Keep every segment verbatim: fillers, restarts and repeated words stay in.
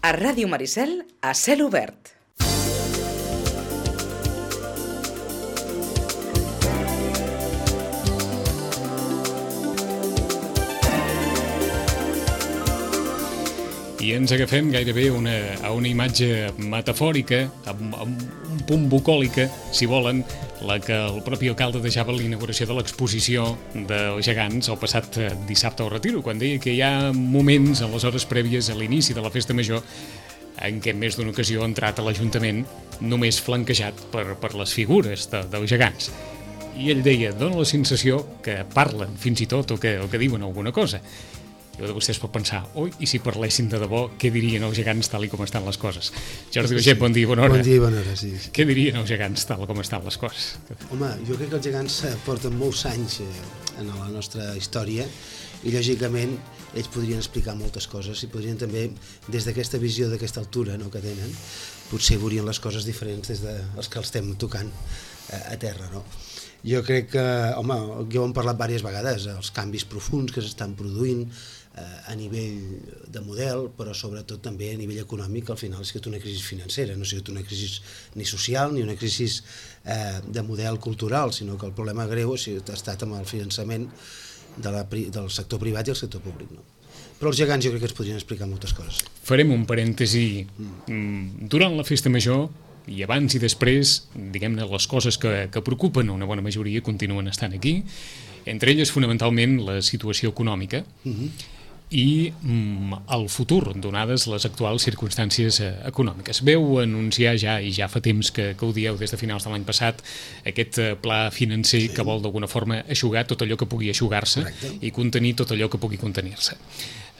A Ràdio Maricel, a cel obert. I ens agafem gairebé una, a una imatge metafòrica, amb, amb un punt bucòlica, si volen, la que el propi alcalde deixava a l'inauguració de l'exposició dels gegants el passat dissabte al Retiro, quan deia que hi ha moments en les hores prèvies a l'inici de la festa major en què en més d'una ocasió ha entrat a l'Ajuntament només flanquejat per, per les figures de, dels gegants. I ell deia, dona la sensació que parlen fins i tot o que, o que diuen alguna cosa. I de vostès pot pensar, oi, i si parlessin de debò, què dirien els gegants tal i com estan les coses? Jordi Baiget, bon dia, bona hora. Bon dia, bona hora, sí. Què dirien els gegants tal com estan les coses? Home, jo crec que els gegants porten molts anys en la nostra història i, lògicament, ells podrien explicar moltes coses i podrien també, des d'aquesta visió, d'aquesta altura no, que tenen, potser veurien les coses diferents des dels que els estem tocant a terra, no? Jo crec que, home, ja ho hem parlat diverses vegades, els canvis profunds que s'estan produint a nivell de model, però sobretot també a nivell econòmic, al final ha sigut una crisi financera, no ha sigut una crisi ni social ni una crisi eh, de model cultural, sinó que el problema greu ha, sigut, ha estat amb el finançament de la, del sector privat i el sector públic. No? Però els gegants jo crec que ens podrien explicar moltes coses. Farem un parèntesi. Mm. Durant la festa major, i abans i després, diguem-ne, les coses que, que preocupen una bona majoria continuen estant aquí, entre elles fonamentalment la situació econòmica, uh-huh. i mm, el futur, donades les actuals circumstàncies eh, econòmiques. Veu anunciar ja, i ja fa temps que, que ho dieu des de finals de l'any passat, aquest eh, pla financer sí. que vol d'alguna forma eixugar tot allò que pugui eixugar-se i contenir tot allò que pugui contenir-se.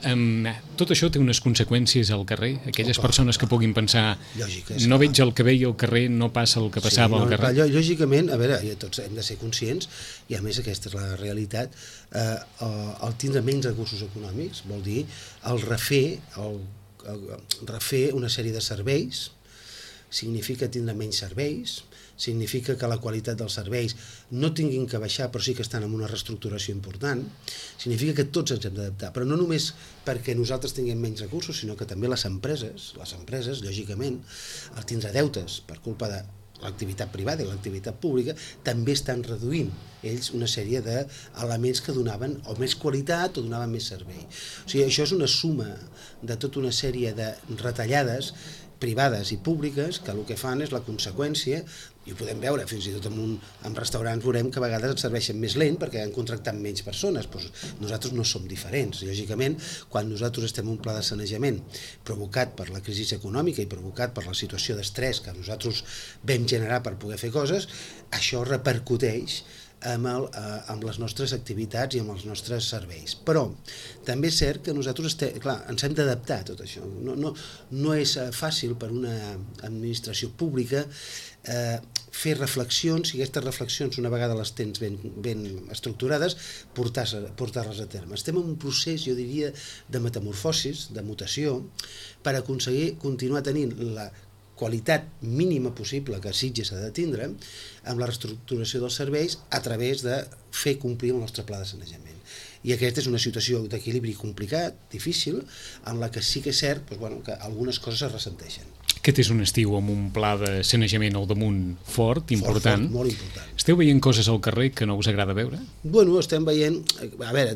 Um, tot això té unes conseqüències al carrer? Aquelles Opa, persones que puguin pensar Lògica, no veig el que veia al carrer, no passa el que passava sí, no, al carrer. Lògicament, a veure, tots hem de ser conscients, i a més aquesta és la realitat, eh, el tindre menys recursos econòmics vol dir el refer, el, el refer una sèrie de serveis, significa tindre menys serveis, significa que la qualitat dels serveis no tinguin que baixar, però sí que estan en una reestructuració important, significa que tots ens hem d'adaptar, però no només perquè nosaltres tinguem menys recursos, sinó que també les empreses, les empreses, lògicament, al tindre deutes per culpa de l'activitat privada i l'activitat pública, també estan reduint ells una sèrie d'elements que donaven o més qualitat o donaven més servei. O sigui, això és una suma de tota una sèrie de retallades privades i públiques que el que fan és la conseqüència, i ho podem veure fins i tot en, un, en restaurants veurem que a vegades ens serveixen més lent perquè han contractat menys persones, doncs nosaltres no som diferents. Lògicament, quan nosaltres estem en un pla de sanejament provocat per la crisi econòmica i provocat per la situació d'estrès que nosaltres vam generar per poder fer coses, això repercuteix amb, el, eh, amb les nostres activitats i amb els nostres serveis. Però també és cert que nosaltres estem, clar, ens hem d'adaptar a tot això. No, no, no és fàcil per una administració pública eh, fer reflexions, i aquestes reflexions, una vegada les tens ben, ben estructurades, portar-les portar a terme. Estem en un procés, jo diria, de metamorfosis, de mutació, per aconseguir continuar tenint la qualitat mínima possible que Sitges ha de tindre amb la reestructuració dels serveis a través de fer complir el nostre pla de sanejament. I aquesta és una situació d'equilibri complicat, difícil, en la que sí que és cert doncs, bueno, que algunes coses es ressenteixen. Aquest és un estiu amb un pla de sanejament al damunt fort, important. Fort, fort, molt important. Esteu veient coses al carrer que no us agrada veure? Bueno, estem veient... A veure,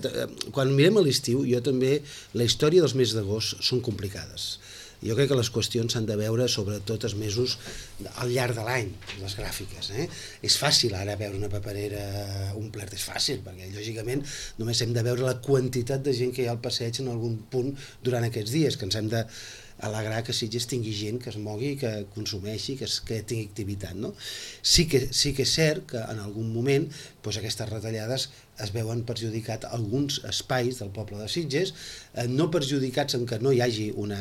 quan mirem a l'estiu, jo també... La història dels mesos d'agost són complicades. Jo crec que les qüestions s'han de veure sobretot els mesos al llarg de l'any, les gràfiques. Eh? És fàcil ara veure una paperera omplerta, és fàcil, perquè lògicament només hem de veure la quantitat de gent que hi ha al passeig en algun punt durant aquests dies, que ens hem de alegrar que Sitges tingui gent que es mogui, que consumeixi, que, es, que tingui activitat. No? Sí, que, sí que és cert que en algun moment doncs, aquestes retallades es veuen perjudicat alguns espais del poble de Sitges, eh, no perjudicats en que no hi hagi una,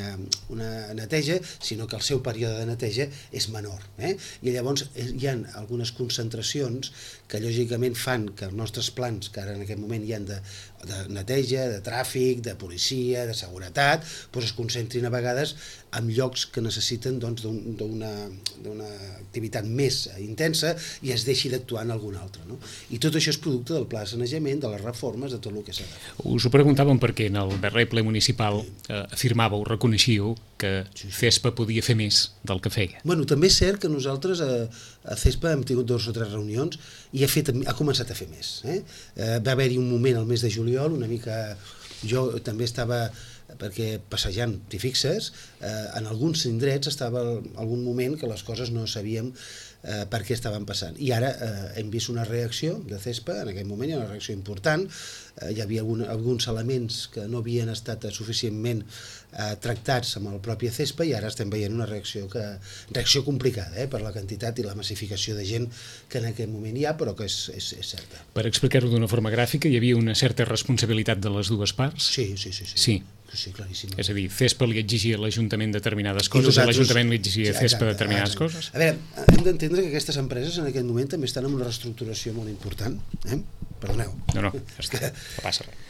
una neteja, sinó que el seu període de neteja és menor. Eh? I llavors hi ha algunes concentracions que lògicament fan que els nostres plans, que ara en aquest moment hi ha de, de neteja, de tràfic, de policia, de seguretat, doncs es concentrin a vegades empreses en llocs que necessiten doncs, d'una d'una activitat més intensa i es deixi d'actuar en algun altre. No? I tot això és producte del pla de sanejament, de les reformes, de tot el que s'ha de fer. Us ho preguntàvem perquè en el darrer ple municipal eh, afirmàveu, reconeixíeu que CESPA podia fer més del que feia. Bueno, també és cert que nosaltres a, a CESPA hem tingut dues o tres reunions i ha, fet, ha començat a fer més. Eh? Eh, va haver-hi un moment al mes de juliol, una mica... Jo també estava, perquè passejant, t'hi fixes, eh, en alguns indrets estava algun moment que les coses no sabíem eh, per què estaven passant. I ara eh, hem vist una reacció de CESPA, en aquell moment hi ha una reacció important, eh, hi havia algun, alguns elements que no havien estat suficientment eh, tractats amb el propi CESPA i ara estem veient una reacció que reacció complicada eh, per la quantitat i la massificació de gent que en aquell moment hi ha, però que és, és, és certa. Per explicar-ho d'una forma gràfica, hi havia una certa responsabilitat de les dues parts? Sí, sí, sí. sí. Sí. Sí, claríssim. És a dir, CESPA li exigia a l'Ajuntament determinades coses i l'Ajuntament li exigia a CESPA determinades exacte. coses? A veure, hem d'entendre que aquestes empreses en aquest moment també estan en una reestructuració molt important. Eh? Perdoneu. No, no, ja està, no passa res.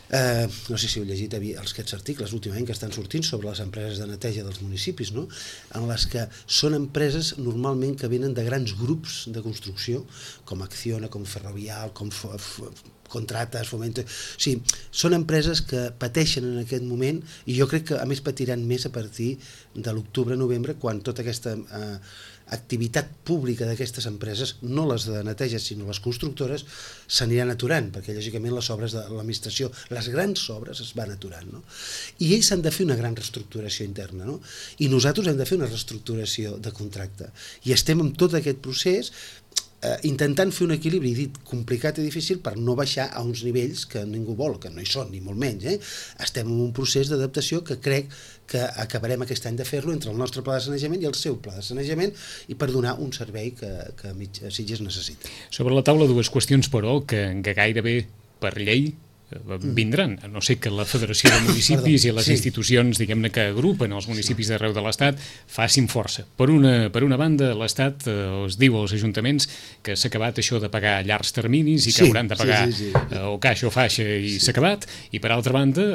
Uh, no sé si heu llegit els aquests articles últimament que estan sortint sobre les empreses de neteja dels municipis, no? En les que són empreses normalment que venen de grans grups de construcció, com Acciona, com Ferrovial, com F F Contrates, Fomento... O sigui, són empreses que pateixen en aquest moment i jo crec que a més patiran més a partir de l'octubre-novembre quan tota aquesta eh, activitat pública d'aquestes empreses, no les de neteja sinó les constructores, s'aniran aturant perquè lògicament les obres de l'administració, les grans obres es van aturant, no? I ells han de fer una gran reestructuració interna, no? I nosaltres hem de fer una reestructuració de contracte i estem en tot aquest procés eh, intentant fer un equilibri, dit complicat i difícil, per no baixar a uns nivells que ningú vol, que no hi són, ni molt menys. Eh? Estem en un procés d'adaptació que crec que acabarem aquest any de fer-lo entre el nostre pla de sanejament i el seu pla de sanejament i per donar un servei que, que Sitges necessita. Sobre la taula dues qüestions, però, que, que gairebé per llei vindran, a no ser que la Federació de Municipis Perdó, i les sí. institucions, diguem-ne, que agrupen els municipis d'arreu de l'Estat facin força. Per una, per una banda, l'Estat eh, es diu als ajuntaments que s'ha acabat això de pagar a llargs terminis i que sí, hauran de pagar sí, sí, sí. Eh, o caixa o faixa i s'ha sí. acabat, i per altra banda,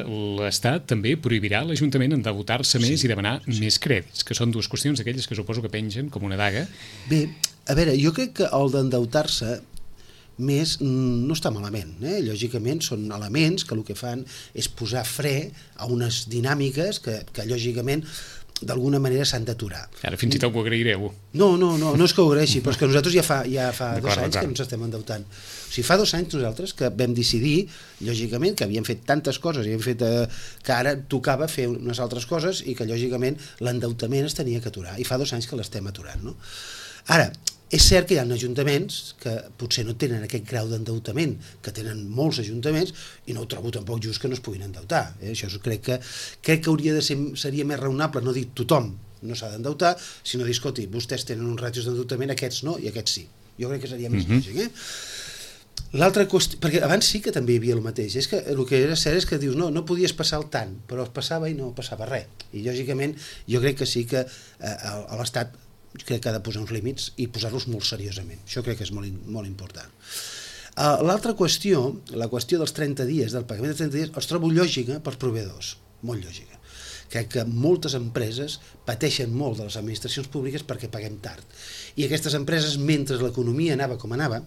l'Estat també prohibirà a l'Ajuntament endeutar-se sí, més i demanar sí. més crèdits, que són dues qüestions aquelles que suposo que pengen com una daga. Bé, a veure, jo crec que el d'endeutar-se més no està malament, eh? Lògicament són elements que el que fan és posar fre a unes dinàmiques que, que lògicament d'alguna manera s'han d'aturar. Ara fins i tot ho agraireu. No, no, no, no és que ho agraeixi, però és que nosaltres ja fa, ja fa dos anys que ens estem endeutant. O sigui, fa dos anys nosaltres que vam decidir, lògicament, que havíem fet tantes coses, i havíem fet eh, que ara tocava fer unes altres coses i que lògicament l'endeutament es tenia que aturar. I fa dos anys que l'estem aturant, no? Ara, és cert que hi ha ajuntaments que potser no tenen aquest grau d'endeutament que tenen molts ajuntaments i no ho trobo tampoc just que no es puguin endeutar. Eh? Això crec que, crec que hauria de ser, seria més raonable no dir tothom no s'ha d'endeutar, sinó dir, escolti, vostès tenen uns ràtios d'endeutament, aquests no i aquests sí. Jo crec que seria més lògic. Mm-hmm. eh? L'altra qüestió, perquè abans sí que també hi havia el mateix, és que el que era cert és que dius, no, no podies passar el tant, però es passava i no passava res. I lògicament jo crec que sí que eh, a l'Estat crec que ha de posar uns límits i posar-los molt seriosament. Això crec que és molt, molt important. Uh, L'altra qüestió, la qüestió dels trenta dies, del pagament de trenta dies, els trobo lògica pels proveïdors, molt lògica. Crec que moltes empreses pateixen molt de les administracions públiques perquè paguem tard. I aquestes empreses, mentre l'economia anava com anava,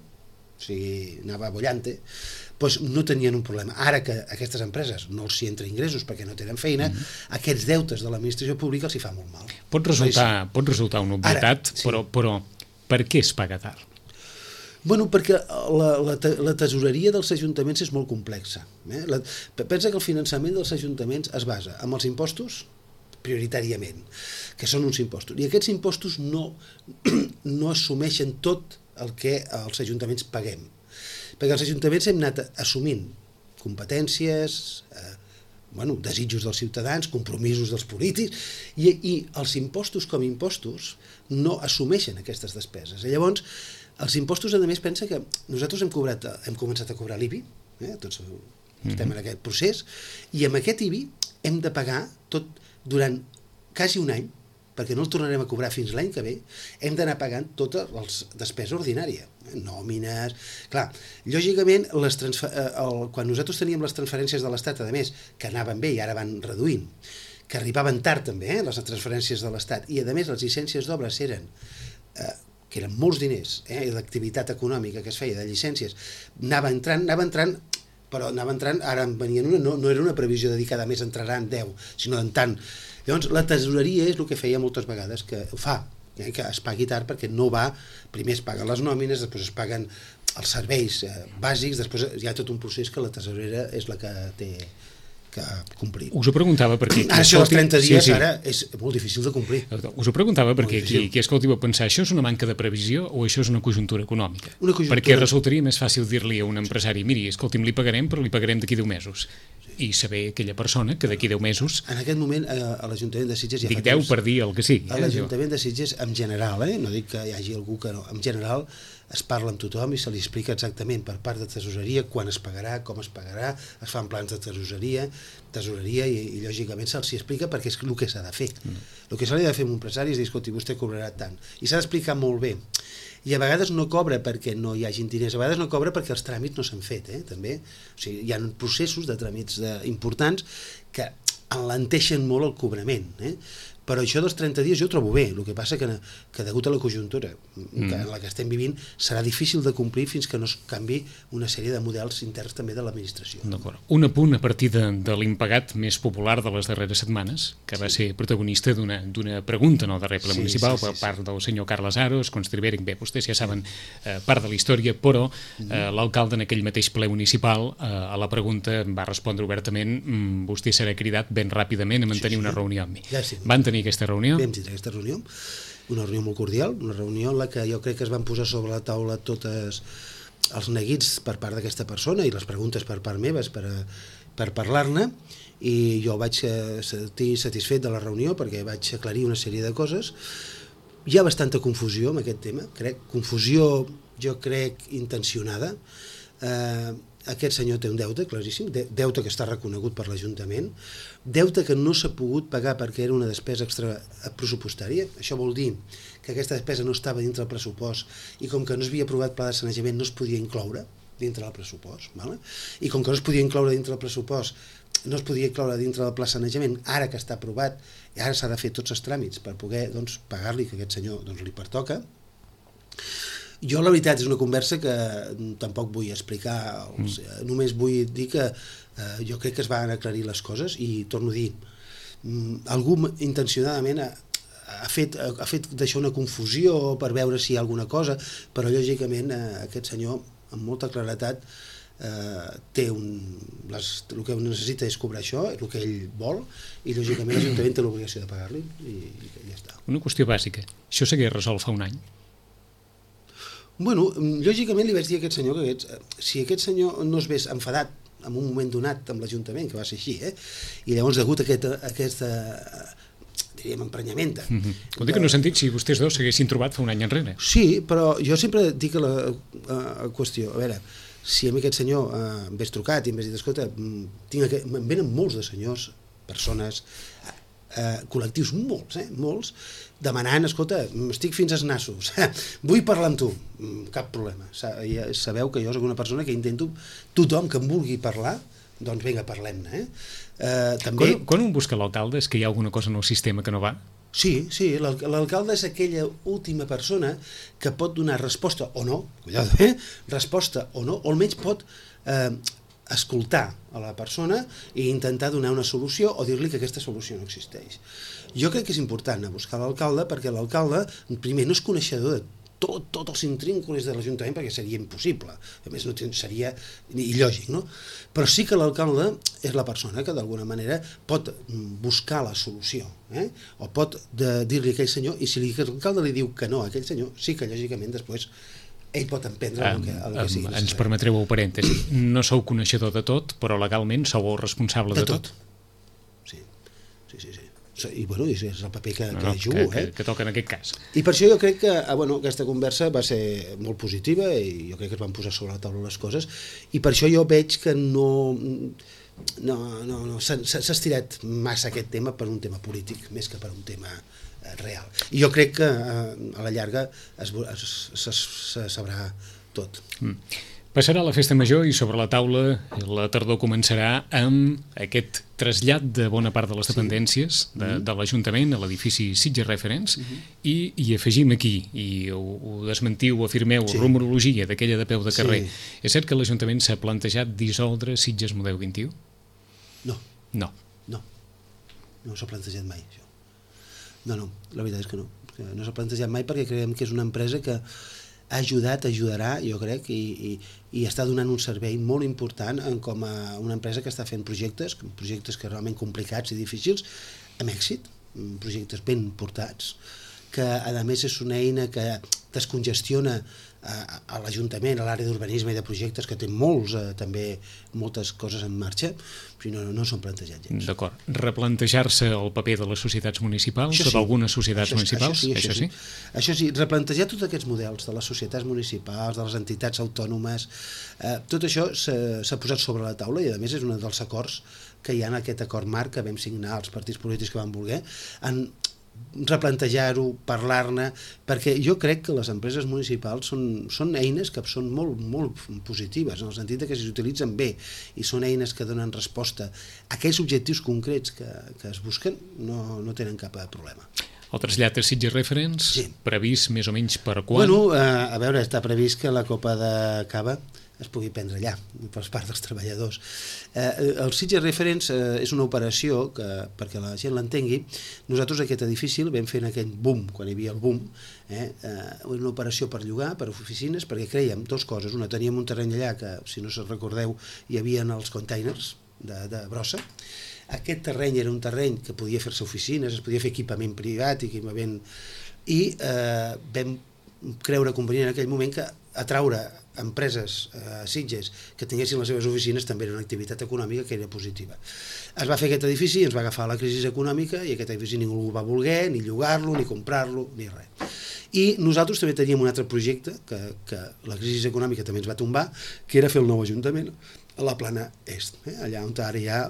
o sigui, anava bollante, doncs no tenien un problema. Ara que aquestes empreses no els hi entra ingressos perquè no tenen feina, mm-hmm. aquests deutes de l'administració pública els hi fa molt mal. Pot resultar, pot resultar una obvietat, Ara, sí. però, però per què es paga tard? Bueno, perquè la, la, la tesoreria dels ajuntaments és molt complexa. Eh? La, pensa que el finançament dels ajuntaments es basa en els impostos prioritàriament, que són uns impostos. I aquests impostos no, no assumeixen tot el que els ajuntaments paguem. Perquè els ajuntaments hem anat assumint competències, eh, bueno, desitjos dels ciutadans, compromisos dels polítics, i, i els impostos com impostos no assumeixen aquestes despeses. I llavors, els impostos, a més, pensa que nosaltres hem, cobrat, hem començat a cobrar l'I B I, eh, tots estem en aquest procés, i amb aquest I B I hem de pagar tot durant quasi un any, perquè no el tornarem a cobrar fins l'any que ve, hem d'anar pagant tota la despesa ordinària, nòmines... Clar, lògicament, les transfer... el... quan nosaltres teníem les transferències de l'Estat, a més, que anaven bé i ara van reduint, que arribaven tard també, eh, les transferències de l'Estat, i a més les llicències d'obres eren, eh, que eren molts diners, eh, l'activitat econòmica que es feia de llicències, anava entrant, anava entrant, però anava entrant, ara en venien una, no, no era una previsió dedicada, més entraran deu, sinó en tant. Llavors, la tesoreria és el que feia moltes vegades, que ho fa, eh, que es pagui tard perquè no va, primer es paguen les nòmines, després es paguen els serveis eh, bàsics, després hi ha tot un procés que la tesorera és la que té que complir. Us ho preguntava perquè... Ara, això dels trenta dies, sí, sí. Ara, és molt difícil de complir. Us ho preguntava perquè qui, qui escolti va pensar, això és una manca de previsió o això és una conjuntura econòmica? Una conjuntura... Perquè resultaria més fàcil dir-li a un empresari, miri, escolti'm, li pagarem, però li pagarem d'aquí deu mesos. I saber aquella persona que d'aquí deu mesos... En aquest moment, a l'Ajuntament de Sitges... Dic deu per dir el que sigui. A l'Ajuntament de Sitges, en general, eh? No dic que hi hagi algú que no, en general es parla amb tothom i se li explica exactament per part de tesoreria quan es pagarà, com es pagarà, es fan plans de tesoreria, tesoreria i, i lògicament se'ls explica perquè és el que s'ha de fer. Mm. El que s'ha de fer amb un empresari és dir, escolti, vostè cobrarà tant. I s'ha d'explicar molt bé. I a vegades no cobra perquè no hi hagin diners, a vegades no cobra perquè els tràmits no s'han fet, eh, també. O sigui, hi ha processos de tràmits de, importants que enlenteixen molt el cobrament, eh? Però això dels trenta dies jo ho trobo bé, el que passa que, que degut a la conjuntura mm. que en la que estem vivint serà difícil de complir fins que no es canvi una sèrie de models interns també de l'administració. D'acord. Un apunt a partir de, de l'impagat més popular de les darreres setmanes, que va sí. ser protagonista d'una pregunta en el darrer ple sí, municipal sí, sí, per part sí. del senyor Carles Aros, Constribèric, bé, vostès ja saben eh, part de la història, però eh, l'alcalde en aquell mateix ple municipal eh, a la pregunta va respondre obertament, mm, vostè serà cridat ben ràpidament a mantenir sí, sí. una reunió amb mi. Ja sí. Van tenir aquesta reunió? Vam tindre aquesta reunió, una reunió molt cordial, una reunió en la que jo crec que es van posar sobre la taula totes els neguits per part d'aquesta persona i les preguntes per part meves per, a, per parlar-ne, i jo vaig sentir satisfet de la reunió perquè vaig aclarir una sèrie de coses. Hi ha bastanta confusió amb aquest tema, crec, confusió jo crec intencionada. Eh, aquest senyor té un deute claríssim, deute que està reconegut per l'Ajuntament, deute que no s'ha pogut pagar perquè era una despesa extra pressupostària. Això vol dir que aquesta despesa no estava dintre del pressupost i com que no s'havia aprovat pla de sanejament no es podia incloure dintre del pressupost, ¿vale? I com que no es podia incloure dintre del pressupost, no es podia incloure dintre del pla de sanejament, ara que està aprovat i ara s'ha de fer tots els tràmits per poder doncs, pagar-li, que aquest senyor doncs, li pertoca. Jo, la veritat, és una conversa que tampoc vull explicar, els, mm. només vull dir que eh, jo crec que es van aclarir les coses i torno a dir, mm, algú intencionadament ha, ha fet, ha fet deixar una confusió per veure si hi ha alguna cosa, però lògicament eh, aquest senyor, amb molta claretat, eh, té un, les, el que necessita és cobrar això, el que ell vol, i lògicament l'Ajuntament té l'obligació de pagar-li, i, i ja està. Una qüestió bàsica, això s'hagués resolt fa un any? Bueno, lògicament li vaig dir a aquest senyor que aquest, si aquest senyor no es vés enfadat en un moment donat amb l'Ajuntament, que va ser així, eh? I llavors degut a aquest, a aquesta, diríem, emprenyamenta. Mm-hmm. Vol dir que no he sentit si vostès dos s'haguessin trobat fa un any enrere. Sí, però jo sempre dic a la a, a qüestió, a veure, si a mi aquest senyor eh, em ves trucat i em ves dit, escolta, tinc aquest, em venen molts de senyors, persones, eh, col·lectius molts, eh, molts, demanant, escolta, estic fins als nassos, vull parlar amb tu, cap problema. Sabeu que jo soc una persona que intento, tothom que em vulgui parlar, doncs vinga, parlem-ne. Eh? Eh, també... quan, quan un busca l'alcalde és que hi ha alguna cosa en el sistema que no va? Sí, sí, l'alcalde és aquella última persona que pot donar resposta o no, cuidado, eh? resposta o no, o almenys pot eh, escoltar a la persona i intentar donar una solució o dir-li que aquesta solució no existeix. Jo crec que és important anar a buscar l'alcalde perquè l'alcalde, primer, no és coneixedor de tot, tot els intrínculos de l'Ajuntament perquè seria impossible, a més no seria il·lògic, no? Però sí que l'alcalde és la persona que d'alguna manera pot buscar la solució, eh? O pot dir-li a aquell senyor, i si l'alcalde li diu que no a aquell senyor, sí que lògicament després ell pot emprendre el que, el que sigui. Ens permetreu un parèntesi, no sou coneixedor de tot, però legalment sou el responsable de, de tot. tot. Sí, sí, sí, sí. I bueno, és el paper que, no, que no, jugo, que, eh? que, que toca en aquest cas. I per això jo crec que ah, bueno, aquesta conversa va ser molt positiva i jo crec que es van posar sobre la taula les coses i per això jo veig que no, no, no, no s'ha estirat massa aquest tema per un tema polític més que per un tema eh, real. I jo crec que eh, a la llarga es, es, es, se sabrà tot. Mm. Passarà la festa major i sobre la taula la tardor començarà amb aquest trasllat de bona part de les dependències sí. de, de l'Ajuntament a l'edifici Sitges Reference uh-huh. i, i afegim aquí, i ho, ho desmentiu, ho afirmeu, sí. rumorologia d'aquella de peu de carrer. Sí. És cert que l'Ajuntament s'ha plantejat dissoldre Sitges Model vint-i-u? No. No. No. No s'ha plantejat mai, això. No, no, la veritat és que no. No s'ha plantejat mai perquè creiem que és una empresa que ha ajudat, ajudarà, jo crec, i, i, i està donant un servei molt important en com a una empresa que està fent projectes, projectes que realment complicats i difícils, amb èxit, projectes ben portats, que a més és una eina que descongestiona a, a l'Ajuntament, a l'àrea d'urbanisme i de projectes, que té molts, eh, també moltes coses en marxa, però no, no són plantejats gens. D'acord. Replantejar-se el paper de les societats municipals, això o sí. d'algunes societats això, municipals? Això sí, això, això sí? sí. Això sí, replantejar tots aquests models de les societats municipals, de les entitats autònomes, eh, tot això s'ha posat sobre la taula i a més és un dels acords que hi ha en aquest acord marc que vam signar els partits polítics que van voler, en replantejar-ho, parlar-ne, perquè jo crec que les empreses municipals són, són eines que són molt, molt positives, en el sentit que si s'utilitzen bé i són eines que donen resposta a aquells objectius concrets que, que es busquen, no, no tenen cap problema. El trasllat a Sitges Reference, sí. previst més o menys per quan? Bueno, eh, a veure, està previst que la Copa de Cava es pugui prendre allà, per part dels treballadors. Eh, el Sitges Reference eh, és una operació que, perquè la gent l'entengui, nosaltres aquest edifici el vam fer en aquell boom, quan hi havia el boom, eh, eh, una operació per llogar, per oficines, perquè creiem dues coses. Una, teníem un terreny allà que, si no se'n recordeu, hi havia els containers de, de brossa. Aquest terreny era un terreny que podia fer-se oficines, es podia fer equipament privat, equipament... i eh, vam creure convenient en aquell moment que atraure empreses a eh, Sitges que tinguessin les seves oficines també era una activitat econòmica que era positiva. Es va fer aquest edifici, ens va agafar la crisi econòmica i aquest edifici ningú el va voler, ni llogar-lo, ni comprar-lo, ni res. I nosaltres també teníem un altre projecte que, que la crisi econòmica també ens va tombar, que era fer el nou ajuntament a la plana est, eh? Allà on ara hi ha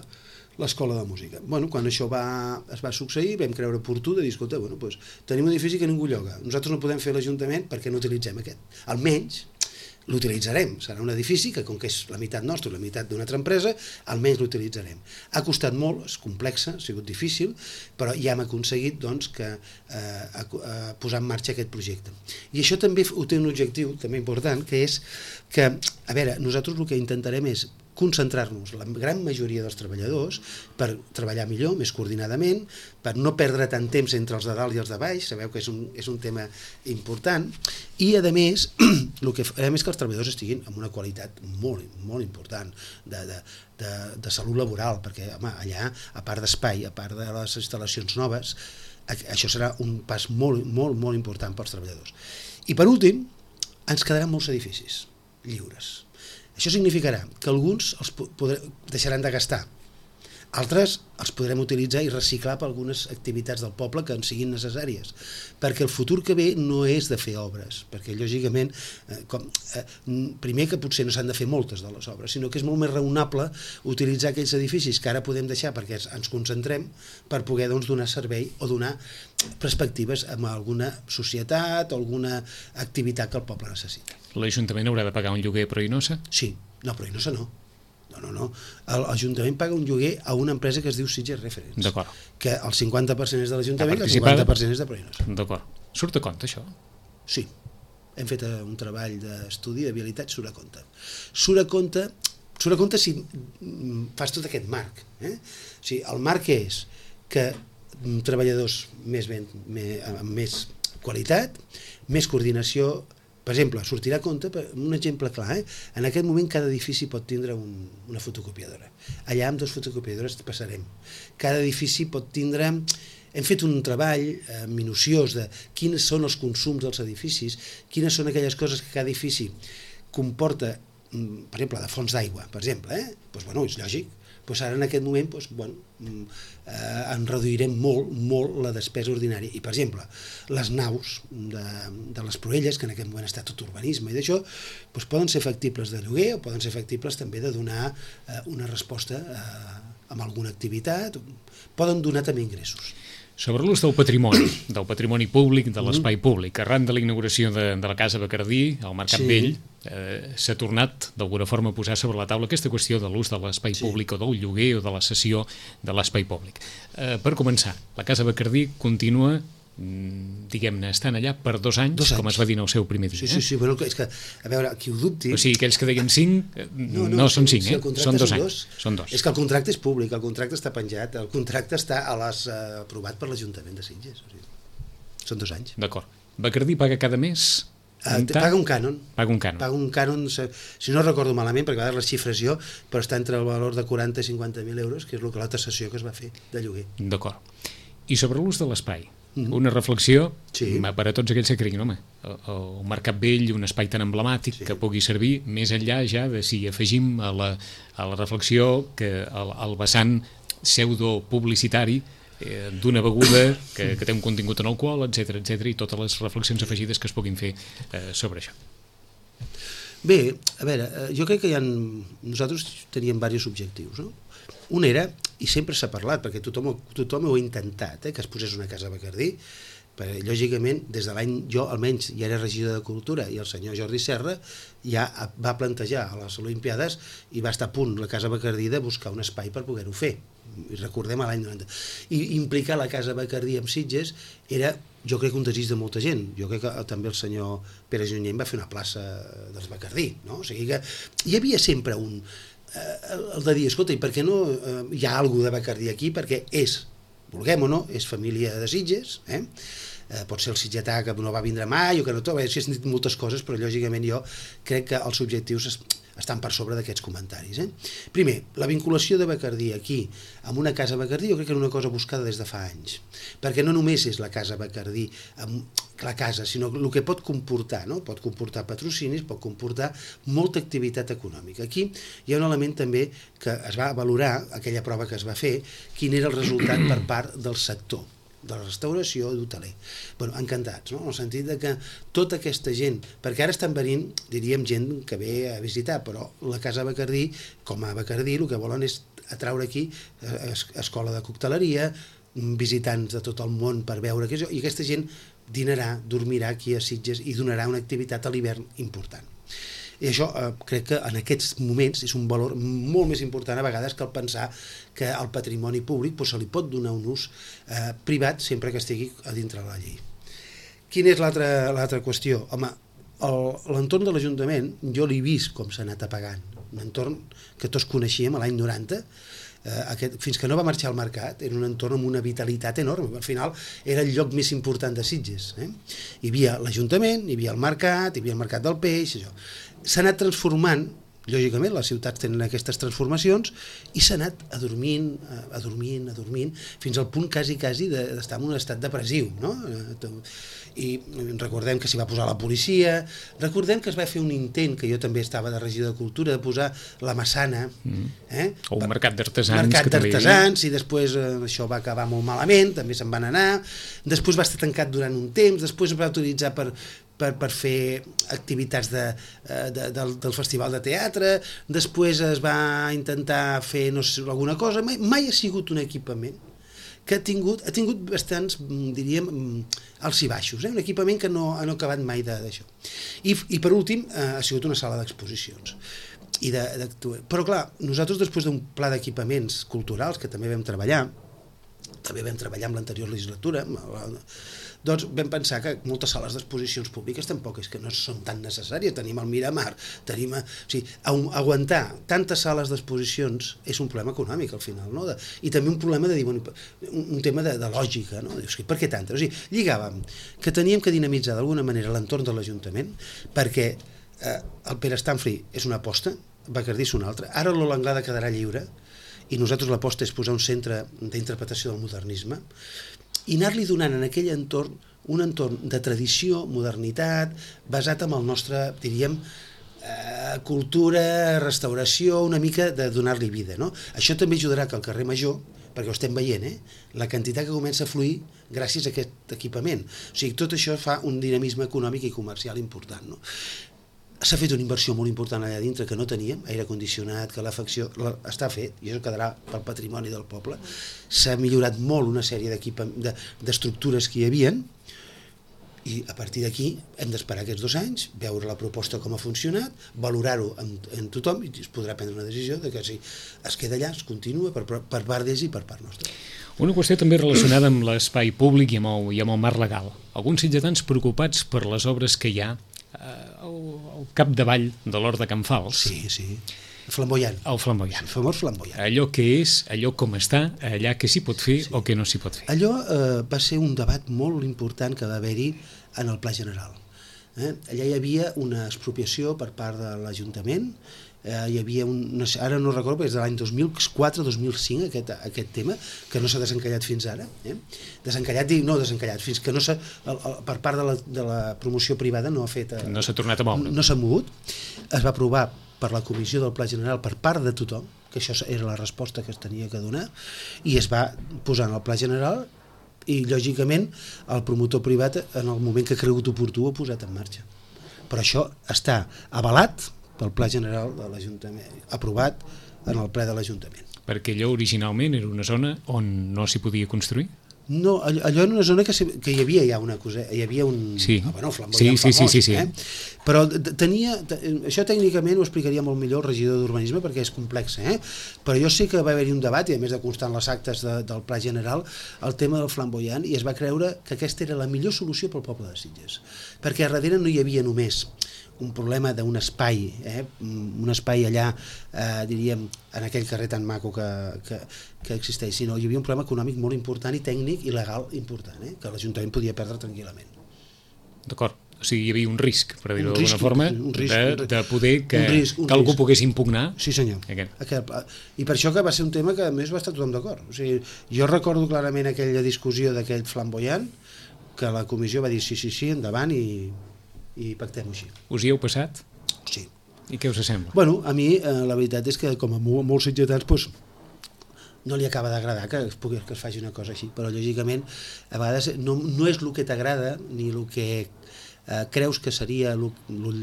l'escola de música. Bueno, quan això va, es va succeir, vam creure oportú de dir, escolta, bueno, doncs, tenim un edifici que ningú lloga, nosaltres no podem fer l'Ajuntament perquè no utilitzem aquest. Almenys l'utilitzarem, serà un edifici que com que és la meitat nostra i la meitat d'una altra empresa, almenys l'utilitzarem. Ha costat molt, és complexa, ha sigut difícil, però ja hem aconseguit doncs, que, eh, a, a posar en marxa aquest projecte. I això també ho té un objectiu també important, que és que, a veure, nosaltres el que intentarem és concentrar-nos, la gran majoria dels treballadors, per treballar millor, més coordinadament, per no perdre tant temps entre els de dalt i els de baix, sabeu que és un, és un tema important, i a més, el que farem és que els treballadors estiguin amb una qualitat molt, molt important de, de, de, de salut laboral, perquè home, allà, a part d'espai, a part de les instal·lacions noves, això serà un pas molt, molt, molt important pels treballadors. I per últim, ens quedaran molts edificis lliures. Això significarà que alguns els podré, deixaran de gastar, altres els podrem utilitzar i reciclar per algunes activitats del poble que en siguin necessàries, perquè el futur que ve no és de fer obres, perquè lògicament, eh, com, eh, primer que potser no s'han de fer moltes de les obres, sinó que és molt més raonable utilitzar aquells edificis que ara podem deixar perquè ens concentrem per poder doncs, donar servei o donar perspectives a alguna societat o alguna activitat que el poble necessita. L'Ajuntament haurà de pagar un lloguer a Proinosa? Sí, no, Proinosa no. No, no, no. L'Ajuntament paga un lloguer a una empresa que es diu Sitges Reference. D'acord. Que el cinquanta per cent és de l'Ajuntament i el cinquanta per cent és de Proinosa. D'acord. Surt a compte, això? Sí. Hem fet un treball d'estudi de viabilitat, surt a compte. Surt a compte, surt a compte si fas tot aquest marc. Eh? O sigui, el marc és que treballadors més ben, més, amb més qualitat, més coordinació. Per exemple, sortirà a compte, un exemple clar, eh? En aquest moment cada edifici pot tindre un, una fotocopiadora. Allà amb dues fotocopiadores passarem. Cada edifici pot tindre... Hem fet un treball eh, minuciós de quins són els consums dels edificis, quines són aquelles coses que cada edifici comporta, per exemple, de fonts d'aigua, per exemple, eh? Doncs, bueno, és lògic. Doncs ara en aquest moment doncs, bueno, eh, en reduirem molt, molt la despesa ordinària. I, per exemple, les naus de, de les Proelles, que en aquest moment està tot urbanisme i d'això, doncs poden ser factibles de lloguer o poden ser factibles també de donar eh, una resposta eh, amb alguna activitat, poden donar també ingressos. Sobre l'ús del patrimoni, del patrimoni públic, de l'espai públic. Arran de la inauguració de, de la Casa Bacardí, al Mercat Sí. Vell, eh, s'ha tornat d'alguna forma a posar sobre la taula aquesta qüestió de l'ús de l'espai Sí. públic o del lloguer o de la cessió de l'espai públic. Eh, per començar, la Casa Bacardí continua, mm, diguem-ne, estant allà per dos anys, Dos anys. com es va dir en el seu primer dia. Sí, sí, sí, bueno, és que, a veure, qui ho dubti... O sigui, aquells que deien cinc, eh, no, no, no són cinc, si eh? el contracte Són dos són anys. Són dos. És que el contracte és públic, el contracte està penjat, el contracte està a les, eh, aprovat per l'Ajuntament de Sitges. O sigui, són dos anys. D'acord. Bacardí paga cada mes? Uh, un paga un cànon. Paga un cànon. Paga un cànon, si no recordo malament, perquè a vegades les xifres jo, però està entre el valor de quaranta i cinquanta mil euros, que és el que la taxació que es va fer de lloguer. D'acord. I sobre l'ús de l'espai? Mhm. Una reflexió Sí. per a tots aquells que creguin, home, el, el Mercat Vell, un espai tan emblemàtic Sí. que pugui servir, més enllà ja de si afegim a la, a la reflexió que el, el vessant pseudo-publicitari eh, d'una beguda que, que té un contingut en alcohol, etcètera, etcètera, i totes les reflexions afegides que es puguin fer eh, sobre això. Bé, a veure, eh, jo crec que hi ha... Nosaltres teníem diversos objectius, no? Un era, i sempre s'ha parlat, perquè tothom, tothom ho ha intentat, eh, que es posés una casa a Bacardí, perquè, lògicament, des de l'any, jo almenys ja era regidor de Cultura, i el senyor Jordi Serra ja va plantejar a les Olimpiades i va estar a punt la casa Bacardí de buscar un espai per poder-ho fer. I recordem a l'any noranta. I implicar la casa Bacardí amb Sitges era, jo crec, un desig de molta gent. Jo crec que també el senyor Pere Junyent va fer una plaça dels Bacardí, no? O sigui que hi havia sempre un... Eh, el de dir, escolta, i per què no eh, hi ha alguna de Bacardí aquí? Perquè és, vulguem o no, és família de Sitges, eh? Eh, pot ser el sitgetà que no va vindre mai o que no tot, bé, s'hi han dit moltes coses, però lògicament jo crec que els objectius es, estan per sobre d'aquests comentaris. Eh? Primer, la vinculació de Bacardí aquí amb una casa Bacardí jo crec que era una cosa buscada des de fa anys, perquè no només és la casa Bacardí amb la casa, sinó el que pot comportar, no? Pot comportar patrocinis, pot comportar molta activitat econòmica. Aquí hi ha un element també que es va valorar, aquella prova que es va fer, quin era el resultat per part del sector de la restauració i d'hoteler. Bueno, encantats, no? En el sentit de que tota aquesta gent, perquè ara estan venint, diríem, gent que ve a visitar, però la Casa Bacardí, com a Bacardí, el que volen és atraure aquí es escola de cocteleria, visitants de tot el món per veure què és, i aquesta gent dinarà, dormirà aquí a Sitges i donarà una activitat a l'hivern important. I això eh, crec que en aquests moments és un valor molt més important a vegades que el pensar que al patrimoni públic doncs, se li pot donar un ús eh, privat sempre que estigui a dintre de la llei. Quina és l'altra qüestió? Home, l'entorn de l'Ajuntament jo l'he vist com s'ha anat apagant. Un entorn que tots coneixíem a l'any noranta, eh, aquest, fins que no va marxar al mercat, era un entorn amb una vitalitat enorme. Al final era el lloc més important de Sitges. Eh? Hi havia l'Ajuntament, hi havia el mercat, hi havia el mercat del peix, això. S'ha anat transformant, lògicament les ciutats tenen aquestes transformacions, i s'ha anat adormint, adormint, adormint, fins al punt quasi, quasi d'estar en un estat depressiu, no? I recordem que s'hi va posar la policia, recordem que es va fer un intent, que jo també estava de regidor de Cultura, de posar la Massana, eh? o un mercat d'artesans, mercat d'artesans, i després eh, això va acabar molt malament, també se'n van anar, després va estar tancat durant un temps, després es va utilitzar per, per, per fer activitats de, de, del, del festival de teatre, després es va intentar fer no sé, alguna cosa, mai, mai ha sigut un equipament que ha tingut, ha tingut bastants, diríem, alts i baixos, eh? Un equipament que no, no ha acabat mai d'això. I, I per últim, eh, ha sigut una sala d'exposicions. I de, de, però clar, nosaltres després d'un pla d'equipaments culturals que també vam treballar, també vam treballar amb l'anterior legislatura, doncs vam pensar que moltes sales d'exposicions públiques tampoc és que no són tan necessàries. Tenim el Miramar, tenim... O sigui, aguantar tantes sales d'exposicions és un problema econòmic al final, no? De, i també un problema de dir, bueno, un, un tema de, de lògica, no? Dius, per què tantes? O sigui, lligàvem que teníem que dinamitzar d'alguna manera l'entorn de l'Ajuntament perquè eh, el Pere Stanfri és una aposta, Bacardí és una altra, ara l'Ola Anglada quedarà lliure i nosaltres l'aposta és posar un centre d'interpretació del modernisme i anar-li donant en aquell entorn un entorn de tradició, modernitat, basat en el nostre, diríem, eh, cultura, restauració, una mica de donar-li vida, no? Això també ajudarà que al carrer Major, perquè ho estem veient, eh, la quantitat que comença a fluir gràcies a aquest equipament. O sigui, tot això fa un dinamisme econòmic i comercial important, no? s'ha fet una inversió molt important allà dintre que no teníem, aire condicionat, calefacció, la, està fet i això quedarà pel patrimoni del poble. S'ha millorat molt una sèrie d'estructures que hi havien i a partir d'aquí hem d'esperar aquests dos anys, veure la proposta com ha funcionat, valorar-ho en, en tothom i es podrà prendre una decisió de que si es queda allà, es continua per, per part d'ells i per part nostra. Una qüestió també relacionada amb l'espai públic i amb, el, i amb el marc legal. Alguns sitgetans preocupats per les obres que hi ha al, al capdavall de l'Hort de Can Fals. Sí, sí. Flamboyant. El flamboyant. El famós flamboyant. Allò que és, allò com està, allà que s'hi pot fer sí. o que no s'hi pot fer. Allò eh, va ser un debat molt important que va haver-hi en el Pla General. Eh? Allà hi havia una expropiació per part de l'Ajuntament, eh, hi havia un, no sé, ara no recordo, perquè és de l'any dos mil quatre dos mil cinc aquest, aquest tema, que no s'ha desencallat fins ara. Eh? Desencallat, dic, no desencallat, fins que no s'ha, per part de la, de la promoció privada no ha fet... Eh, no s'ha tornat a moure. No s'ha mogut. Es va aprovar per la Comissió del Pla General per part de tothom, que això era la resposta que es tenia que donar, i es va posar en el Pla General i, lògicament, el promotor privat, en el moment que ha cregut oportú, ho ha posat en marxa. Però això està avalat pel Pla General de l'Ajuntament, aprovat en el ple de l'Ajuntament. Perquè allò originalment era una zona on no s'hi podia construir? No, allò, allò era una zona que, que hi havia ja una cosa, hi havia un... Sí, ah, bueno, flamboyant sí, sí, famós, sí, sí, sí. Eh? Però tenia... Això tècnicament ho explicaria molt millor el regidor d'Urbanisme perquè és complex, eh? Però jo sé que va haver-hi un debat, i a més de constar en les actes de, del Pla General, el tema del flamboyant, i es va creure que aquesta era la millor solució pel poble de Sitges. Perquè a darrere no hi havia només un problema d'un espai, eh? un espai allà, eh, diríem, en aquell carrer tan maco que, que, que existeix, sinó hi havia un problema econòmic molt important i tècnic i legal important, eh? Que l'Ajuntament podia perdre tranquil·lament. D'acord, o sigui, hi havia un risc, per dir-ho d'alguna forma, un risc, de, de poder que, un risc, un que algú risc. pogués impugnar. Sí, senyor. Aquest. Aquest, I per això que va ser un tema que a més va estar tothom d'acord. O sigui, jo recordo clarament aquella discussió d'aquell flamboyant, que la comissió va dir sí, sí, sí, endavant i... i pactem així. Us hi heu passat? Sí. I què us sembla? Bueno, a mi eh, la veritat és que com a molts sitgetans pues, no li acaba d'agradar que es, pugui, que es faci una cosa així, però lògicament a vegades no, no és el que t'agrada ni el que eh, creus que seria el, el,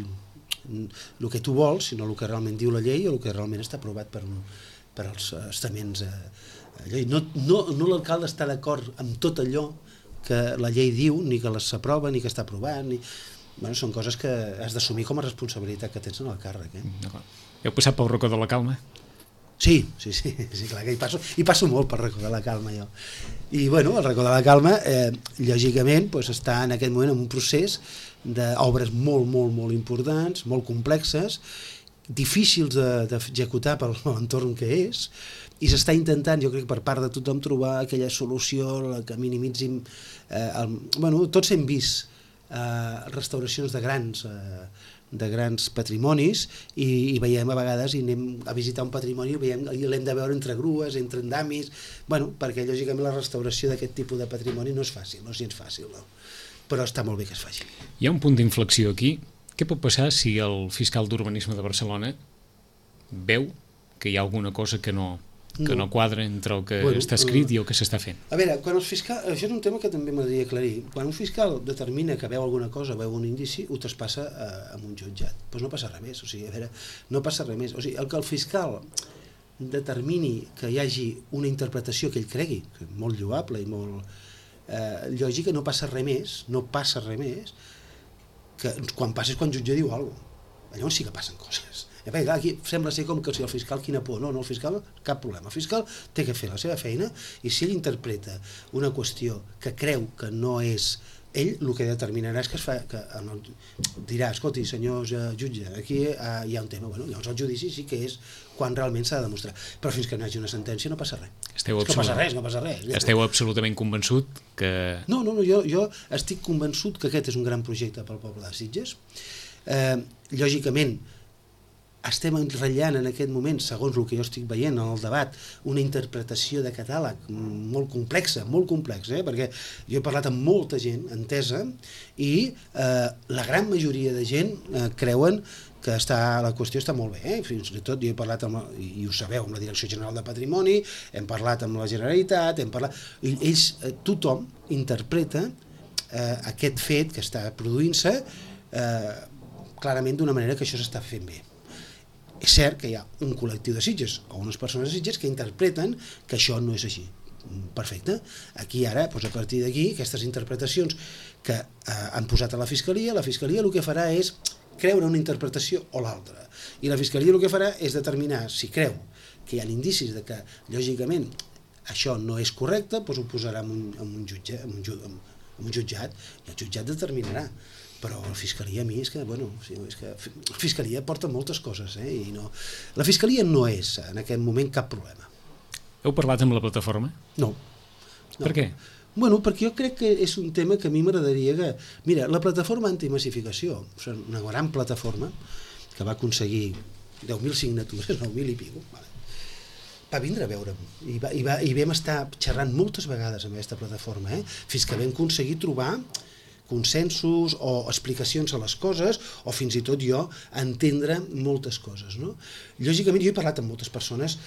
el que tu vols, sinó el que realment diu la llei o el que realment està aprovat per, per als estaments. Eh, no no, no l'alcalde està d'acord amb tot allò que la llei diu, ni que s'aprova, ni que està aprovat, ni... Bueno, són coses que has d'assumir com a responsabilitat que tens en el càrrec. Eh? Heu passat pel racó de la Calma? Sí, sí, sí, sí clar que hi passo, hi passo molt pel racó de la Calma jo. I bueno, el racó de la Calma, eh, lògicament, pues, està en aquest moment en un procés d'obres molt, molt, molt importants, molt complexes, difícils d'executar pel entorn que és, i s'està intentant, jo crec, per part de tothom trobar aquella solució que minimitzin... Eh, el, bueno, tots hem vist Uh, restauracions de grans uh, de grans patrimonis i, i veiem a vegades i anem a visitar un patrimoni i, veiem, i l'hem de veure entre grues, entre andamis, bueno, perquè lògicament la restauració d'aquest tipus de patrimoni no és fàcil, no és gens fàcil, no? Però està molt bé que es faci. Hi ha un punt d'inflexió aquí. Què pot passar si el fiscal d'Urbanisme de Barcelona veu que hi ha alguna cosa que no... que no, no quadra entre el que bueno, està escrit uh, i el que s'està fent. A veure, quan els fiscals, això és un tema que també m'agradaria aclarir, quan un fiscal determina que veu alguna cosa, veu un indici, ho traspassa a, a un jutjat. Doncs pues no passa res més, o sigui, a veure, no passa res més. O sigui, el que el fiscal determini que hi hagi una interpretació que ell cregui, que és molt lloable i molt eh, lògica, no passa res més, no passa res més, que quan passa és quan el jutge diu alguna cosa. Llavors sí que passen coses. Perquè aquí sembla ser com que si el fiscal quina por, no, no, el fiscal cap problema, el fiscal té que fer la seva feina i si ell interpreta una qüestió que creu que no és ell, el que determinarà és que es fa, que el, dirà, escolti senyor jutge, aquí uh, hi ha un tema, bueno, llavors el judici sí que és quan realment s'ha de demostrar, però fins que no hi hagi una sentència no passa res. Esteu no passa res, no passa res. Esteu absolutament convençut que... No, no, no, jo, jo estic convençut que aquest és un gran projecte pel poble de Sitges. Eh, lògicament, estem ratllant en aquest moment, segons el que jo estic veient en el debat, una interpretació de catàleg molt complexa, molt complexa, eh? Perquè jo he parlat amb molta gent entesa i eh, la gran majoria de gent eh, creuen que està, la qüestió està molt bé, eh? Fins i tot jo he parlat, amb, i ho sabeu, amb la Direcció General de Patrimoni, hem parlat amb la Generalitat, hem parlat... I ells, eh, tothom interpreta eh, aquest fet que està produint-se eh, clarament d'una manera que això s'està fent bé. És cert que hi ha un col·lectiu de Sitges o unes persones de Sitges que interpreten que això no és així. Perfecte. Aquí ara, doncs a partir d'aquí, aquestes interpretacions que eh, han posat a la Fiscalia, la Fiscalia el que farà és creure una interpretació o l'altra. I la Fiscalia el que farà és determinar si creu que hi ha indicis de que, lògicament, això no és correcte, doncs ho posarà en un, en un jutge, en un, en, en un jutjat, i el jutjat determinarà. Però la Fiscalia a mi és que, bueno, és que la Fiscalia porta moltes coses, eh? I no... La Fiscalia no és en aquest moment cap problema. Heu parlat amb la plataforma? No. no. Per què? Bueno, perquè jo crec que és un tema que a mi m'agradaria que... Mira, la plataforma antimassificació, una gran plataforma, que va aconseguir deu mil signatures, nou mil i pico, vale. Va vindre a veure'm i, va, i, va, i vam estar xerrant moltes vegades amb aquesta plataforma, eh? Fins que vam aconseguir trobar consensos o explicacions a les coses, o fins i tot jo entendre moltes coses, no? Lògicament, jo he parlat amb moltes persones,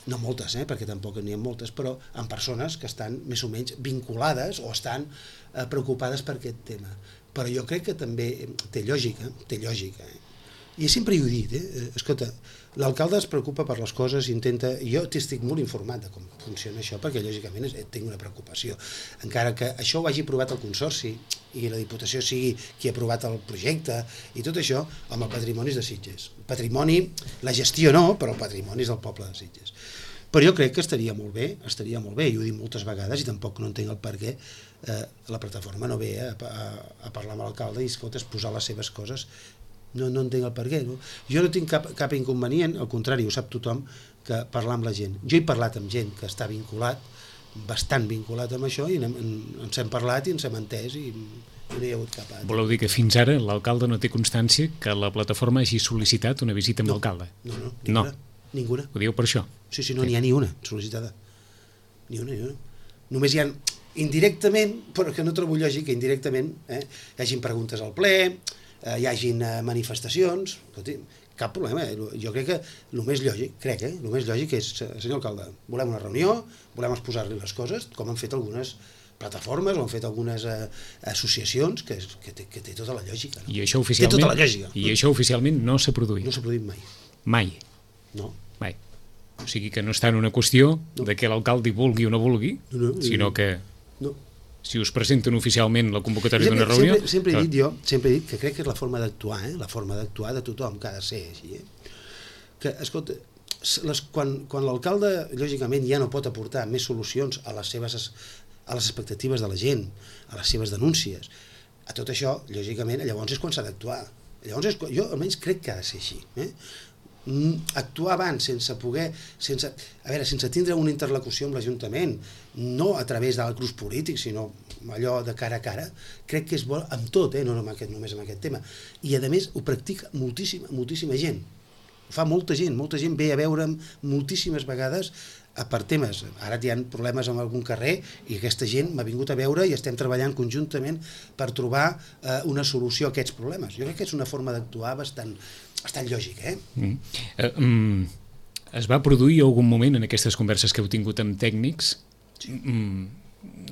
no moltes, eh, perquè tampoc n'hi ha moltes, però amb persones que estan més o menys vinculades o estan eh, preocupades per aquest tema. Però jo crec que també té lògica, té lògica, eh? I sempre ho he dit, eh? Escolta, l'alcalde es preocupa per les coses i intenta... Jo estic molt informat de com funciona això, perquè lògicament tinc una preocupació. Encara que això ho hagi aprovat el Consorci i la Diputació sigui qui ha aprovat el projecte i tot això, amb el patrimoni de Sitges. Patrimoni, la gestió no, però el patrimoni és del poble de Sitges. Però jo crec que estaria molt bé, estaria molt bé, i ho he dit moltes vegades i tampoc no entenc el per què eh, la plataforma no ve a, a, a parlar amb l'alcalde i, escolta, posar les seves coses. No, no entenc el per què, no? Jo no tinc cap, cap inconvenient, al contrari, ho sap tothom, que parlar amb la gent. Jo he parlat amb gent que està vinculat, bastant vinculat amb això, i ens hem parlat i ens hem entès i no hi ha hagut cap... Voleu dir que fins ara l'alcalde no té constància que la plataforma hagi sol·licitat una visita amb no, l'alcalde? No, no, ninguna, no. ninguna. Ho dieu per això? Sí, sí, no n'hi ha ni una sol·licitada. Ni una, ni una. Només hi ha indirectament, però que no trobo lògic que indirectament eh, hi hagin preguntes al ple, eh, hi hagin eh, manifestacions, escolti, cap problema. Eh? Jo crec que el més lògic, crec, eh, el més lògic és, senyor alcalde, volem una reunió, volem exposar-li les coses, com han fet algunes plataformes o han fet algunes eh, associacions, que, que, té, que té tota la lògica. No? I això oficialment, té tota la lògica. I això oficialment no s'ha produït? No s'ha produït mai. Mai? No. Mai. O sigui que no està en una qüestió no. de que l'alcalde vulgui o no vulgui, no, no, sinó que no. si us presenten oficialment la convocatòria d'una reunió... Sempre, sempre he dit jo, sempre he dit que crec que és la forma d'actuar, eh? La forma d'actuar de tothom, que ha de ser així. Eh? Que, escolta, les, quan, quan l'alcalde, lògicament, ja no pot aportar més solucions a les seves a les expectatives de la gent, a les seves denúncies, a tot això, lògicament, llavors és quan s'ha d'actuar. Llavors, és, jo almenys crec que ha de ser així. Eh? Actuar abans sense poder, sense, a veure, sense tindre una interlocució amb l'Ajuntament, no a través d'altres polítics, sinó allò de cara a cara, crec que és bo amb tot, eh? No només amb aquest tema. I a més ho practica moltíssima, moltíssima gent. Ho fa molta gent, molta gent ve a veure'm moltíssimes vegades per temes. Ara hi ha problemes en algun carrer i aquesta gent m'ha vingut a veure i estem treballant conjuntament per trobar eh, una solució a aquests problemes. Jo crec que és una forma d'actuar bastant, bastant lògica. Eh? Mm. Uh, um, es va produir algun moment en aquestes converses que heu tingut amb tècnics, sí. um,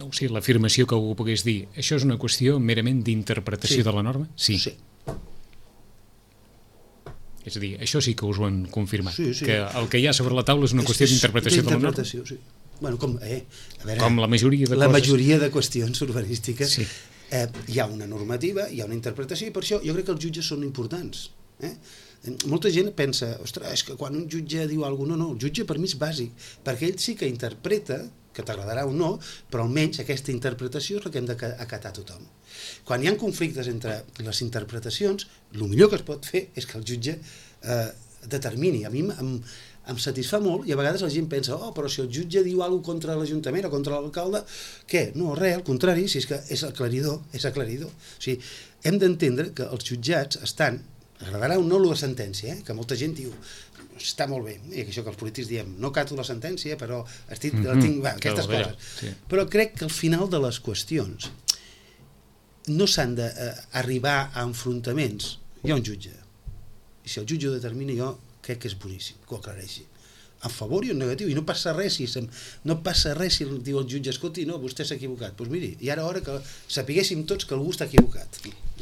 no sé, l'afirmació que algú pogués dir, això és una qüestió merament d'interpretació sí. de la norma? Sí. sí. És a dir, això sí que us ho han confirmat, sí, sí. que el que hi ha sobre la taula és una és, qüestió d'interpretació de la norma. Sí. Bueno, com, eh, a veure, com la majoria de la coses... majoria de qüestions urbanístiques, sí. eh, hi ha una normativa, hi ha una interpretació, i per això jo crec que els jutges són importants. Eh? Molta gent pensa, ostres, és que quan un jutge diu alguna cosa, no, no, el jutge per mi és bàsic, perquè ell sí que interpreta, que t'agradarà o no, però almenys aquesta interpretació és la que hem d'acatar tothom. Quan hi ha conflictes entre les interpretacions, el millor que es pot fer és que el jutge eh, determini. A mi em, em satisfà molt i a vegades la gent pensa, oh, però si el jutge diu alguna cosa contra l'Ajuntament o contra l'alcalde, què? No, res, al contrari, si és que és aclaridor, és aclaridor. O sigui, hem d'entendre que els jutjats estan, agradarà o no la sentència, eh? Que molta gent diu, està molt bé, i això que els polítics diem, no cato la sentència, però estic, mm -hmm. tinc, va, aquestes coses. Sí. Però crec que al final de les qüestions no s'han d'arribar a enfrontaments. Hi ha un jutge, i si el jutge ho determina, jo crec que és boníssim, que ho aclareixi. En favor i en negatiu, i no passa res si, sem... no passa res si diu el jutge, escolti, no, vostè s'ha equivocat. Doncs miri, i ara hora que sapiguéssim tots que algú està equivocat.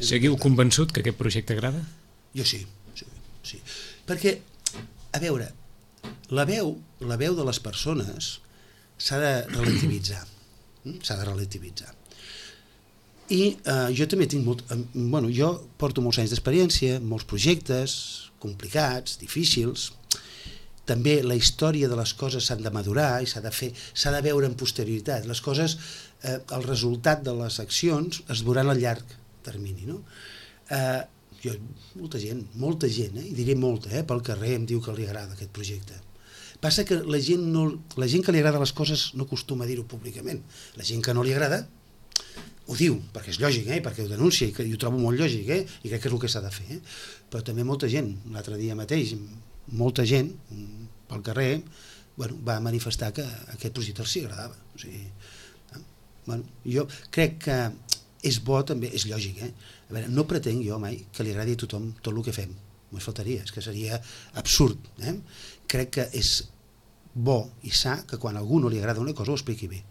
Seguiu convençut que aquest projecte agrada? Jo sí, sí, sí. Perquè, a veure, la veu, la veu de les persones s'ha de relativitzar. S'ha de relativitzar. I eh, jo també tinc molt... Eh, bueno, jo porto molts anys d'experiència, molts projectes complicats, difícils. També la història de les coses s'han de madurar i s'ha de fer, s'ha de veure en posterioritat. Les coses, eh, el resultat de les accions es veuran a llarg termini, no? Eh, jo, molta gent, molta gent, eh, i diré molta, eh, pel carrer em diu que li agrada aquest projecte. Passa que la gent, no, la gent que li agrada les coses no acostuma a dir-ho públicament. La gent que no li agrada ho diu, perquè és lògic, eh? Perquè ho denuncia, i, que, i ho trobo molt lògic, eh? I crec que és el que s'ha de fer. Eh? Però també molta gent, l'altre dia mateix, molta gent pel carrer, bueno, va manifestar que aquest projecte els agradava. O sigui, eh? Bueno, jo crec que és bo també, és lògic, eh? A veure, no pretenc jo mai que li agradi a tothom tot el que fem. Només faltaria, és que seria absurd. Eh? Crec que és bo i sa que quan a algú no li agrada una cosa ho expliqui bé.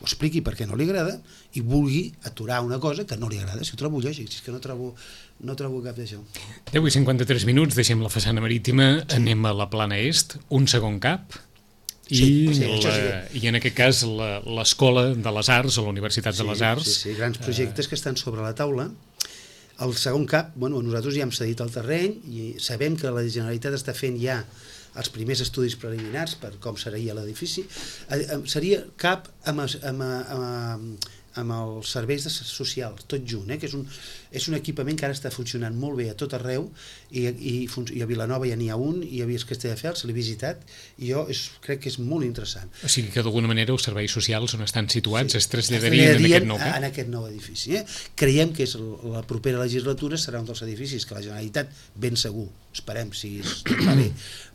Ho expliqui perquè no li agrada i vulgui aturar una cosa que no li agrada. Si ho trobo lògic, si és que no trobo, no trobo cap d'això. deu i cinquanta-tres minuts, deixem la façana marítima, sí. Anem a la plana est, un segon cap, i, sí, sí, la, sí. i en aquest cas l'Escola de les Arts o la Universitat sí, de les Arts. Sí, sí, grans projectes eh... que estan sobre la taula. El segon cap, bueno, nosaltres ja hem cedit el terreny i sabem que la Generalitat està fent ja els primers estudis preliminars per com seria l'edifici. Seria cap amb, amb, amb, amb els serveis socials, tot junt, eh? Que és un, és un equipament que ara està funcionant molt bé a tot arreu i, i, i a Vilanova ja n'hi ha un, i a Castelldefels l'he visitat i jo és, crec que és molt interessant. O sigui que d'alguna manera els serveis socials on estan situats sí, es traslladarien en aquest nou cap? En aquest nou edifici. Eh? Creiem que és la propera legislatura serà un dels edificis que la Generalitat ben segur, esperem si tot va bé,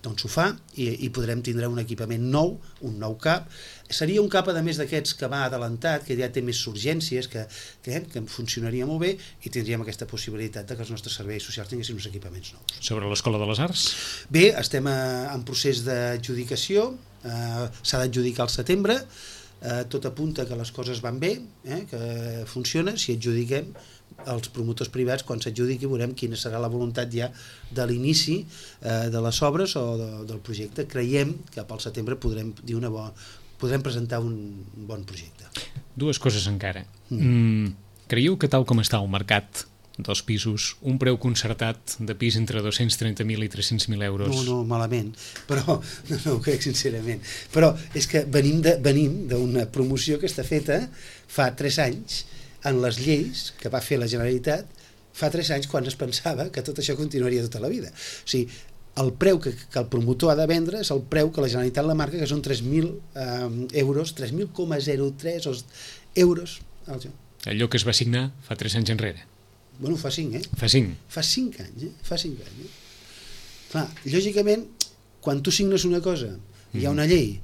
doncs ho fa i, i podrem tindre un equipament nou, un nou cap. Seria un cap, a més d'aquests que va adelantat, que ja té més urgències, que, que, que funcionaria molt bé i tindríem aquesta possibilitat de que els nostres serveis socials tinguessin uns equipaments nous. Sobre l'Escola de les Arts? Bé, estem a, en procés d'adjudicació, eh, s'ha d'adjudicar al setembre, eh, tot apunta que les coses van bé, eh, que funciona, si adjudiquem els promotors privats, quan s'adjudiqui veurem quina serà la voluntat ja de l'inici eh, de les obres o de, del projecte. Creiem que pel setembre podrem dir una bona podrem presentar un bon projecte. Dues coses encara. Mm. Creieu que tal com està el mercat dels pisos, un preu concertat de pis entre dos-cents trenta mil i tres-cents mil euros? No, no, malament, però no, no ho crec sincerament. Però és que venim de, venim d'una promoció que està feta fa tres anys en les lleis que va fer la Generalitat fa tres anys quan es pensava que tot això continuaria tota la vida. O sigui, el preu que, que el promotor ha de vendre és el preu que la Generalitat la marca, que són tres mil eh, euros, tres mil coma zero tres euros. Allò que es va signar fa tres anys enrere. Bueno, fa cinc, eh? Fa cinc. Fa cinc anys, eh? Fa cinc anys, eh? Clar, lògicament, quan tu signes una cosa, mm. hi ha una llei,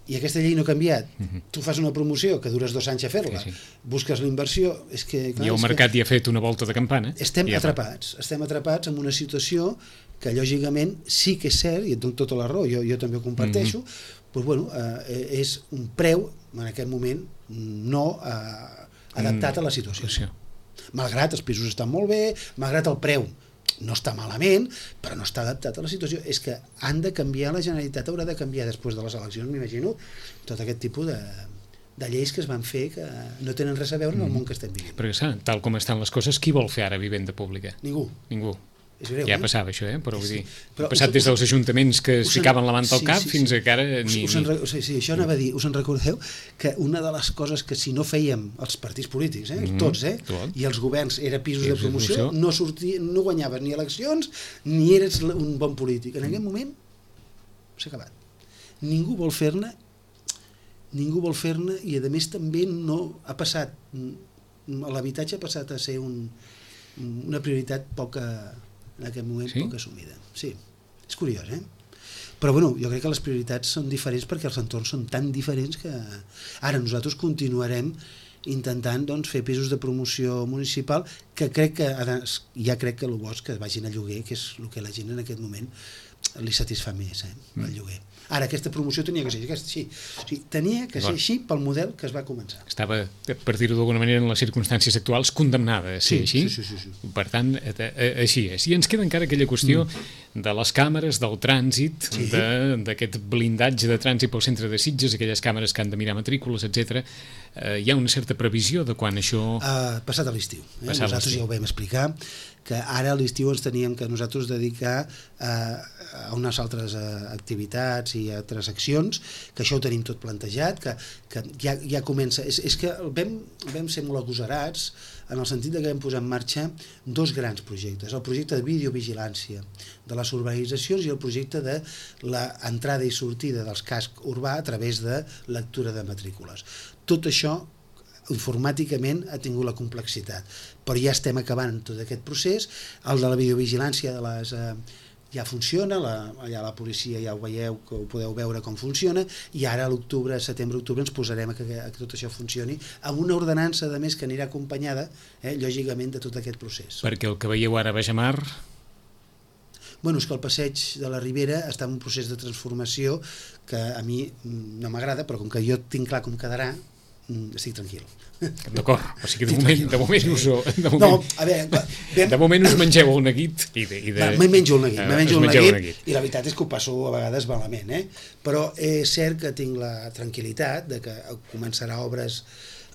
i aquesta llei no ha canviat, mm-hmm. tu fas una promoció que dures dos anys a fer-la, sí, sí. busques la inversió... És que, clar, I el mercat hi ha fet una volta de campana. Estem ja atrapats, fa. estem atrapats en una situació que lògicament sí que és cert, i et dono tota la raó, jo, jo també ho comparteixo, mm-hmm. doncs, bueno, eh, és un preu, en aquest moment, no eh, adaptat mm, a la situació. Sí. Malgrat els pisos estan molt bé, malgrat el preu no està malament, però no està adaptat a la situació. És que han de canviar, la Generalitat haurà de canviar després de les eleccions, m'imagino, tot aquest tipus de, de lleis que es van fer que no tenen res a veure en el món que estem vivint. Perquè, saps, tal com estan les coses, qui vol fer ara vivenda pública? Ningú. Ningú. És greu, ja eh? passava això, eh? Però vull dir, però ha passat des dels ajuntaments que es ficaven la manta al sí, cap sí, fins sí. a que ara ni... Us, us en, sí, sí, això anava a dir, us en recordeu que una de les coses que si no fèiem els partits polítics, eh, mm-hmm. tots, eh, Tot. i els governs era pisos sí, de promoció, sí, no, sortia, no guanyaves ni eleccions ni eres un bon polític. En aquest moment s'ha acabat. Ningú vol fer-ne ningú vol fer-ne i a més també no ha passat, l'habitatge ha passat a ser un, una prioritat poca en aquest moment sí? poc assumida. Sí, és curiós, eh? Però bueno, jo crec que les prioritats són diferents perquè els entorns són tan diferents que ara nosaltres continuarem intentant doncs, fer pisos de promoció municipal que crec que ara, ja crec que el bo és que vagin a lloguer, que és el que la gent en aquest moment li satisfà més, eh, el lloguer. Ara, aquesta promoció tenia que ser aquesta, sí, sí, tenia que ser així pel model que es va començar. Estava, per dir-ho d'alguna manera, en les circumstàncies actuals, condemnada a ser sí, així. Sí, sí, sí, sí. Per tant, així és. I ens queda encara aquella qüestió mm. de les càmeres, del trànsit, sí. d'aquest blindatge de trànsit pel centre de Sitges, aquelles càmeres que han de mirar matrícules, etcètera. Eh, hi ha una certa previsió de quan això... Uh, passat a l'estiu. Eh? Nosaltres ja ho vam explicar, que ara a l'estiu ens teníem que nosaltres dedicar a, a unes altres uh, activitats i altres accions, que això ho tenim tot plantejat, que, que ja, ja comença... És, és que vam, vam ser molt agosarats en el sentit de que vam posar en marxa dos grans projectes, el projecte de videovigilància de les urbanitzacions i el projecte de l'entrada i sortida dels cascs urbà a través de lectura de matrícules. Tot això informàticament ha tingut la complexitat, però ja estem acabant tot aquest procés. El de la videovigilància de les, eh, ja funciona, la, allà la policia ja ho veieu, que ho podeu veure com funciona, i ara a l'octubre, setembre-octubre ens posarem a que, a que tot això funcioni amb una ordenança de més que anirà acompanyada, eh, lògicament, de tot aquest procés. Perquè el que veieu ara a Bajamar... Bueno, és que el passeig de la Ribera està en un procés de transformació que a mi no m'agrada, però com que jo tinc clar com quedarà, estic tranquil. D'acord, o sigui, de moment, de moment us ho... De moment, no, a veure, vam... de moment us mengeu el neguit i de... I de... Me menjo el neguit, me menjo el neguit, neguit, i la veritat és que ho passo a vegades malament, eh? Però és cert que tinc la tranquil·litat de que començarà obres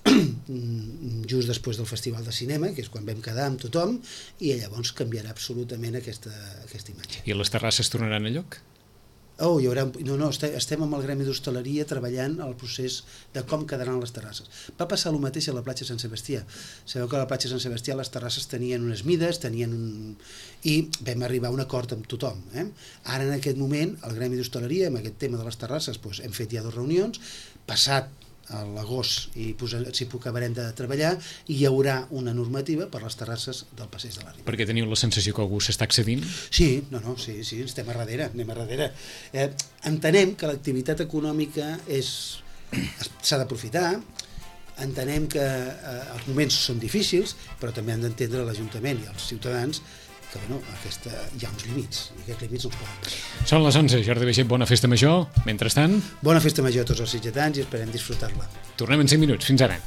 just després del Festival de Cinema, que és quan vam quedar amb tothom, i llavors canviarà absolutament aquesta, aquesta imatge. I les terrasses tornaran a lloc? Oh, hi haurà... No, no, estem amb el Gremi d'Hostaleria treballant el procés de com quedaran les terrasses. Va passar el mateix a la platja Sant Sebastià. Sabeu que a la platja Sant Sebastià les terrasses tenien unes mides, tenien un... i vam arribar a un acord amb tothom. Eh? Ara, en aquest moment, el Gremi d'Hostaleria, amb aquest tema de les terrasses, doncs, hem fet ja dues reunions, passat a l'agost i s'hi acabarem de treballar, i hi haurà una normativa per les terrasses del passeig de la Ribera. Perquè teniu la sensació que algú s'està accedint? Sí, no, no, sí, sí, estem a darrere, anem a darrere. Eh, entenem que l'activitat econòmica és s'ha d'aprofitar, entenem que eh, els moments són difícils, però també han d'entendre l'Ajuntament i els ciutadans que bueno, aquesta, hi ha uns límits, i aquests límits no es poden passar. Són les onze, Jordi Baixet, bona festa major. Mentrestant... Bona festa major a tots els sitgetans i esperem disfrutar-la. Tornem en cinc minuts. Fins ara.